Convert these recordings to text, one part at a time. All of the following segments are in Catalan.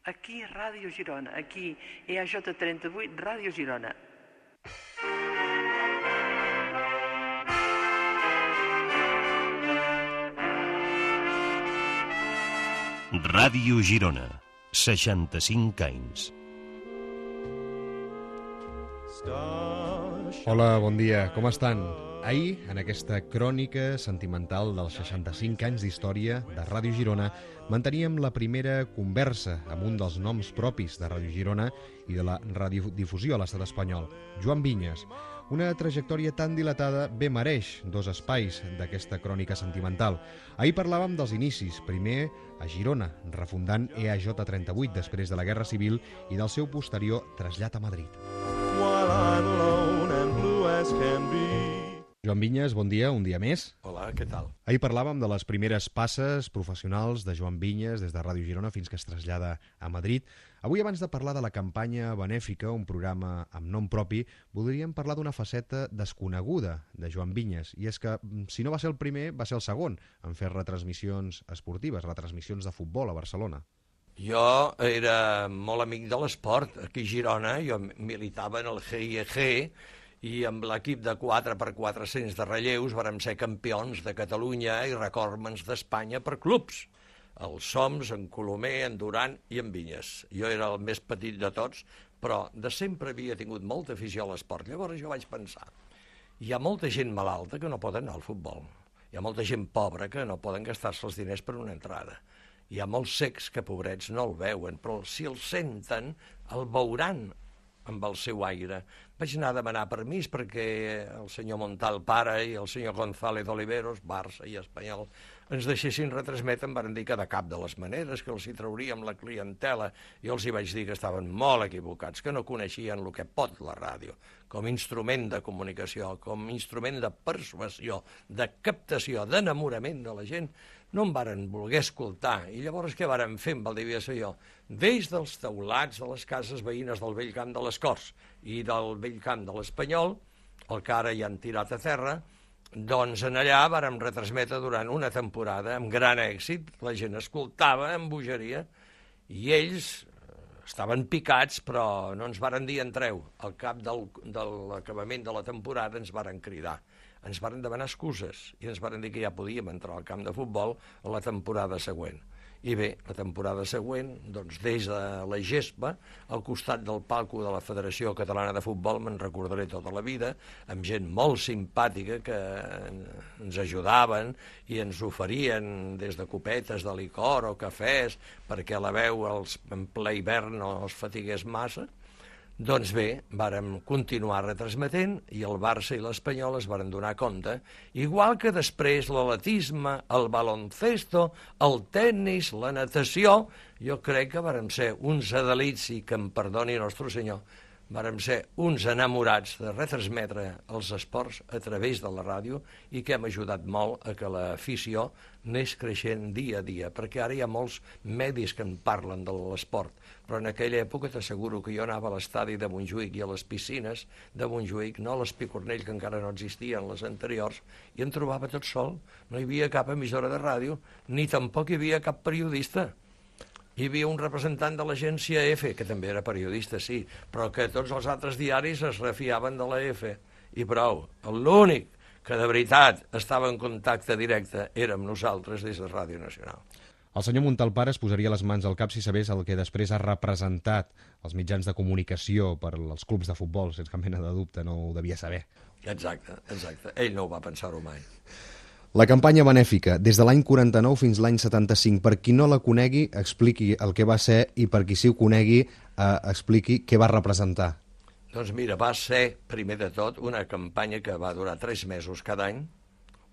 Aquí Ràdio Girona, aquí EAJ38, Ràdio Girona. Ràdio Girona, 65 anys. Hola, bon dia, com estan? Ahir, en aquesta crònica sentimental dels 65 anys d'història de Ràdio Girona, manteníem la primera conversa amb un dels noms propis de Ràdio Girona i de la radiodifusió a l'estat espanyol, Joan Vinyes. Una trajectòria tan dilatada bé mereix dos espais d'aquesta crònica sentimental. Ahir parlàvem dels inicis, primer a Girona, refundant EAJ38 després de la Guerra Civil i del seu posterior trasllat a Madrid. Joan Vinyes, bon dia, un dia més. Hola, què tal? Ahir parlàvem de les primeres passes professionals de Joan Vinyes des de Ràdio Girona fins que es trasllada a Madrid. Avui, abans de parlar de la campanya benèfica, un programa amb nom propi, voldríem parlar d'una faceta desconeguda de Joan Vinyes. I és que, si no va ser el primer, va ser el segon en fer retransmissions esportives, retransmissions de futbol a Barcelona. Jo era molt amic de l'esport. Aquí a Girona jo militava en el GIEG i amb l'equip de 4x400 de relleus vàrem ser campions de Catalunya i recordmans d'Espanya per clubs. El Soms, en Colomer, en Duran i en Vinyes. Jo era el més petit de tots, però de sempre havia tingut molta afició a l'esport. Llavors jo vaig pensar, hi ha molta gent malalta que no pot anar al futbol. Hi ha molta gent pobra que no poden gastar-se els diners per una entrada. Hi ha molts cecs que, pobrets, no el veuen, però si el senten, el veuran amb el seu aire. Vaig anar a demanar permís perquè el senyor Montal pare i el senyor González Oliveros, Barça i Espanyol, ens deixessin retransmetre. Em van dir que de cap de les maneres, que els hi trauríem la clientela. Jo els hi vaig dir que estaven molt equivocats, que no coneixien el que pot la ràdio, com a instrument de comunicació, com a instrument de persuasió, de captació, d'enamorament de la gent. No em varen voler escoltar. I llavors què varen fer amb el devia ser jo? Des dels teulats de les cases veïnes del vell camp de les Corts i del vell camp de l'Espanyol, el que ara ja han tirat a terra, doncs en allà vàrem retransmetre durant una temporada amb gran èxit. La gent escoltava amb bogeria i ells estaven picats, però no ens varen dir entreu. Al cap de l'acabament de la temporada ens varen cridar. Ens varen demanar excuses i ens varen dir que ja podíem entrar al camp de futbol a la temporada següent. I bé, la temporada següent, doncs des de la gespa, al costat del palco de la Federació Catalana de Futbol, me'n recordaré tota la vida, amb gent molt simpàtica que ens ajudaven i ens oferien des de copetes de licor o cafès perquè la veu en ple hivern no els fatigués massa. Doncs bé, vàrem continuar retransmetent i el Barça i l'Espanyol es varen donar compte, igual que després l'atletisme, el baloncesto, el tennis, la natació, jo crec que vàrem ser uns adalits, i que em perdoni Nostre Senyor, vàrem ser uns enamorats de retransmetre els esports a través de la ràdio i que hem ajudat molt a que l'afició anés creixent dia a dia, perquè ara hi ha molts medis que en parlen de l'esport, però en aquella època t'asseguro que jo anava a l'estadi de Montjuïc i a les piscines de Montjuïc, no a l'Espicornell, que encara no existien les anteriors, i em trobava tot sol. No hi havia cap emissora de ràdio, ni tampoc hi havia cap periodista. Hi havia un representant de l'agència EFE, que també era periodista, sí, però que tots els altres diaris es refiaven de la EFE. I prou, l'únic que de veritat estava en contacte directe érem nosaltres des de Ràdio Nacional. El senyor Montalpare es posaria les mans al cap si sabés el que després ha representat els mitjans de comunicació per als clubs de futbol, sense cap mena de dubte, no ho devia saber. Exacte. Ell no ho va pensar-ho mai. La campanya benèfica, des de l'any 49 fins l'any 75. Per qui no la conegui, expliqui el que va ser, i per qui sí ho conegui, expliqui què va representar. Doncs mira, va ser, primer de tot, una campanya que va durar 3 mesos cada any,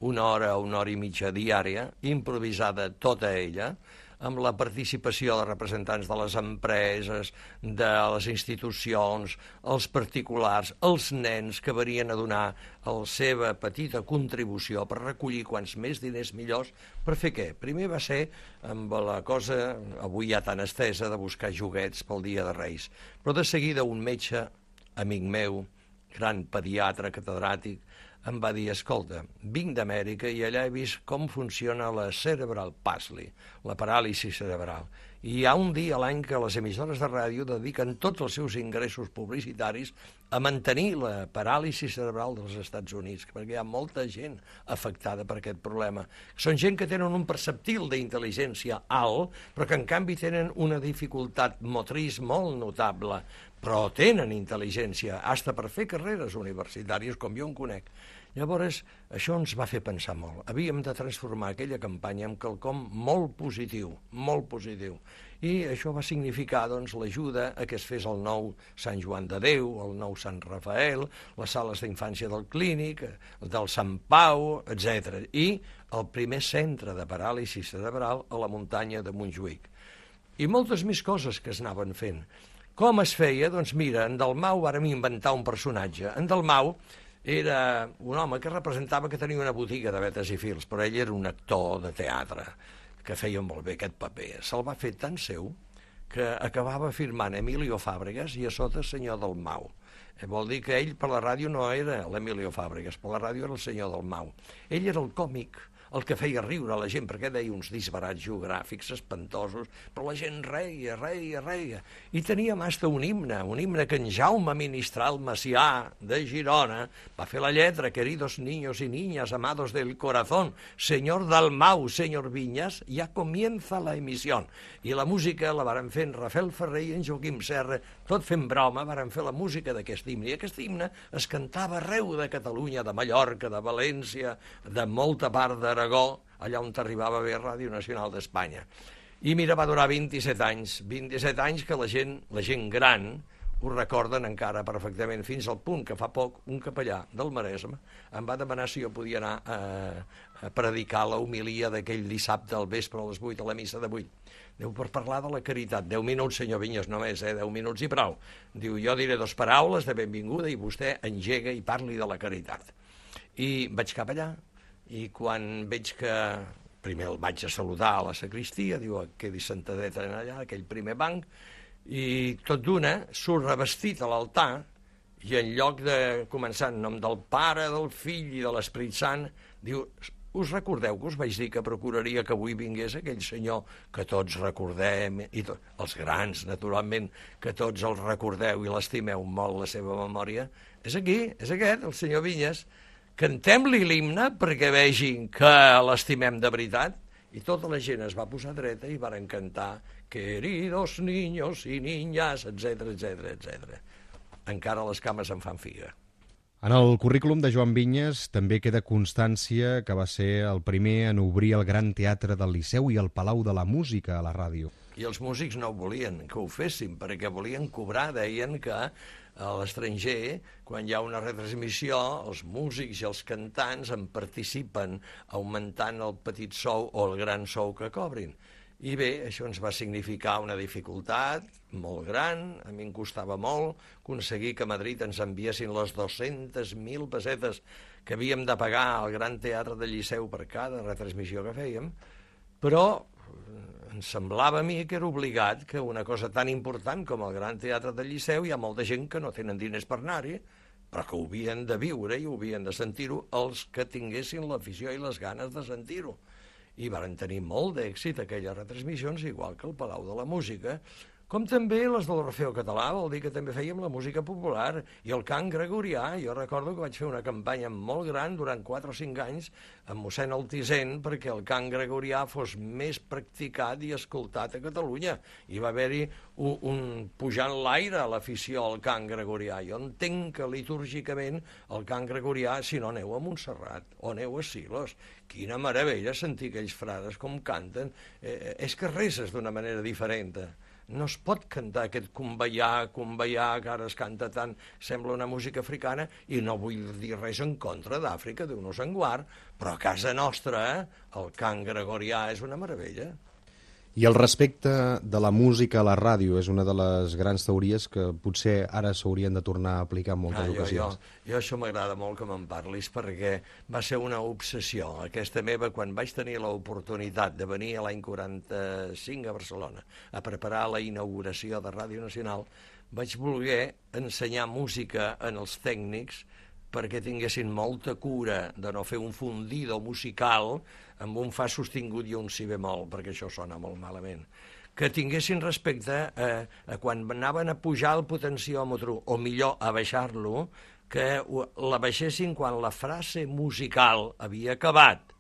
1 hora o 1 hora i mitja diària, improvisada tota ella, amb la participació de representants de les empreses, de les institucions, els particulars, els nens que venien a donar la seva petita contribució per recollir quants més diners millors. Per fer què? Primer va ser amb la cosa, avui ja tan estesa, de buscar joguets pel Dia de Reis. Però de seguida un metge, amic meu, gran pediatre, catedràtic, em va dir, escolta, vinc d'Amèrica i allà he vist com funciona la cerebral palsy, la paràlisi cerebral, I hi ha un dia a l'any que les emissores de ràdio dediquen tots els seus ingressos publicitaris a mantenir la paràlisi cerebral dels Estats Units, perquè hi ha molta gent afectada per aquest problema. Són gent que tenen un perceptil d'intel·ligència alt, però que en canvi tenen una dificultat motriç molt notable, però tenen intel·ligència, hasta per fer carreres universitàries, com jo en conec. Llavors, això ens va fer pensar molt. Havíem de transformar aquella campanya en quelcom molt positiu, molt positiu. I això va significar doncs, l'ajuda a que es fes el nou Sant Joan de Déu, el nou Sant Rafael, les sales d'infància del Clínic, del Sant Pau, etc. I el primer centre de paràlisi cerebral a la muntanya de Montjuïc. I moltes més coses que es anaven fent. Com es feia? Doncs mira, en Dalmau vàrem inventar un personatge. En Dalmau era un home que representava que tenia una botiga de vetes i fils, però ell era un actor de teatre que feia molt bé aquest paper. Se'l va fer tan seu que acabava firmant Emilio Fàbregas i a sota senyor Dalmau. Vol dir que ell per la ràdio no era l'Emilio Fàbregas, per la ràdio era el senyor Dalmau. Ell era el còmic, el que feia riure a la gent, perquè deia uns disbarats geogràfics espantosos, però la gent reia. I teníem hasta un himne que en Jaume Ministral Macià de Girona va fer la lletra, queridos niños y niñas, amados del corazón, señor Dalmau, señor Viñas, ya comienza la emisión. I la música la varen fer en Rafael Ferrer i en Joaquim Serra, tot fent broma, varen fer la música d'aquest himne. I aquest himne es cantava arreu de Catalunya, de Mallorca, de València, de molta part d'Aragó, allà on arribava a Ràdio Nacional d'Espanya. I mira, va durar 27 anys que la gent gran ho recorden encara perfectament, fins al punt que fa poc un capellà del Maresme em va demanar si jo podia anar a predicar la homilia d'aquell dissabte al vespre a les 8 a la missa de 8. Diu, per parlar de la caritat, 10 minuts, senyor Vinyes, només, 10 minuts i prou. Diu, jo diré 2 paraules de benvinguda i vostè engega i parli de la caritat. I vaig cap allà, i quan veig que primer el vaig a saludar a la sacristia, diu, quedi sentadet allà, aquell primer banc, i tot d'una surt revestit a l'altar i en lloc de començar en nom del Pare, del Fill i de l'Esperit Sant, diu, us recordeu que us vaig dir que procuraria que avui vingués aquell senyor que tots recordem, i els grans, naturalment, que tots els recordeu i l'estimeu molt la seva memòria? És aquí, és aquest, el senyor Vinyes. Cantem-li l'himne perquè vegin que l'estimem de veritat. I tota la gent es va posar dreta i varen cantar queridos niños y niñas, etc. Encara les cames em fan figa. En el currículum de Joan Vinyes també queda constància que va ser el primer en obrir el Gran Teatre del Liceu i el Palau de la Música a la ràdio. I els músics no volien que ho féssim, perquè volien cobrar, deien que a l'estranger, quan hi ha una retransmissió, els músics i els cantants en participen augmentant el petit sou o el gran sou que cobrin. I bé, això ens va significar una dificultat molt gran, a mi em costava molt aconseguir que a Madrid ens enviessin les 200.000 pessetes que havíem de pagar al Gran Teatre del Liceu per cada retransmissió que fèiem, però em semblava a mi que era obligat que una cosa tan important com el Gran Teatre del Liceu, hi ha molta gent que no tenen diners per anar-hi, però que ho havien de viure i ho havien de sentir-ho els que tinguessin l'afició i les ganes de sentir-ho. I varen tenir molt d'èxit aquelles retransmissions, igual que el Palau de la Música, com també les de l'Orfeó Català, vol dir que també fèiem la música popular, i el cant gregorià. Jo recordo que vaig fer una campanya molt gran durant 4 o 5 anys amb mossèn Altisent perquè el cant gregorià fos més practicat i escoltat a Catalunya. I va haver-hi un pujant l'aire a l'afició al cant gregorià. Jo entenc que litúrgicament el cant gregorià, si no aneu a Montserrat o aneu a Silos, quina meravella sentir aquells frares com canten. És que reses d'una manera diferent. No es pot cantar aquest cumbaià, que ara es canta tant, sembla una música africana, i no vull dir res en contra d'Àfrica, Déu-nos en guard, però a casa nostra el cant gregorià és una meravella. I el respecte de la música a la ràdio és una de les grans teories que potser ara s'haurien de tornar a aplicar en moltes ocasions. Jo això m'agrada molt que me'n parlis, perquè va ser una obsessió aquesta meva quan vaig tenir l'oportunitat de venir l'any 45 a Barcelona a preparar la inauguració de Ràdio Nacional. Vaig voler ensenyar música en els tècnics perquè tinguessin molta cura de no fer un fundido musical amb un fa sostingut i un si bemol, perquè això sona molt malament. que tinguessin respecte a quan anaven a pujar el potenciòmetre, o millor, a baixar-lo, que la baixessin quan la frase musical havia acabat.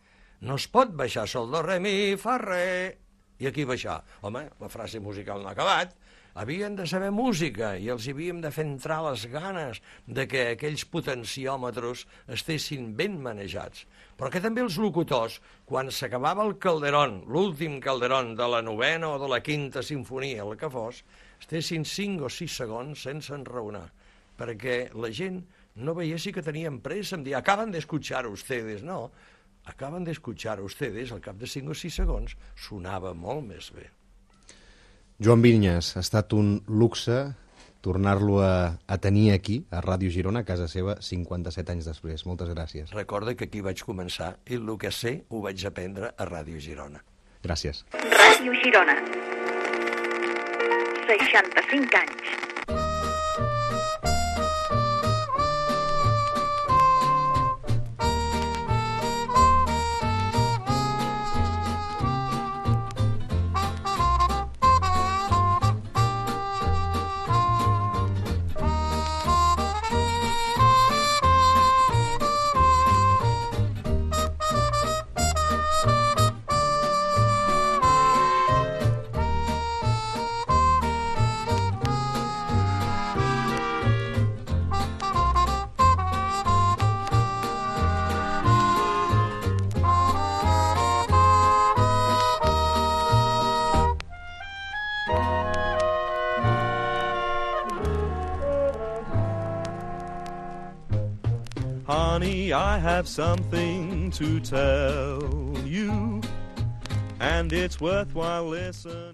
No es pot baixar sol, do, re, mi, fa, re, i aquí baixar. Home, la frase musical no ha acabat. Havien de saber música i els havíem de fer entrar les ganes de que aquells potenciòmetres estessin ben manejats. Però que també els locutors, quan s'acabava el Calderón, l'últim Calderón de la 9ª o de la 5ª sinfonia, el que fos, estessin 5 o 6 segons sense enraonar, perquè la gent no veiessi que tenien pressa, em dir, acaban de escuchar ustedes, no, acaban de escuchar ustedes, al cap de 5 o 6 segons, sonava molt més bé. Joan Vinyes, ha estat un luxe tornar-lo a tenir aquí, a Ràdio Girona, a casa seva, 57 anys després. Moltes gràcies. Recorda que aquí vaig començar i el que sé ho vaig aprendre a Ràdio Girona. Gràcies. Ràdio Girona. 65 anys. Honey, I have something to tell you, and it's worthwhile listening.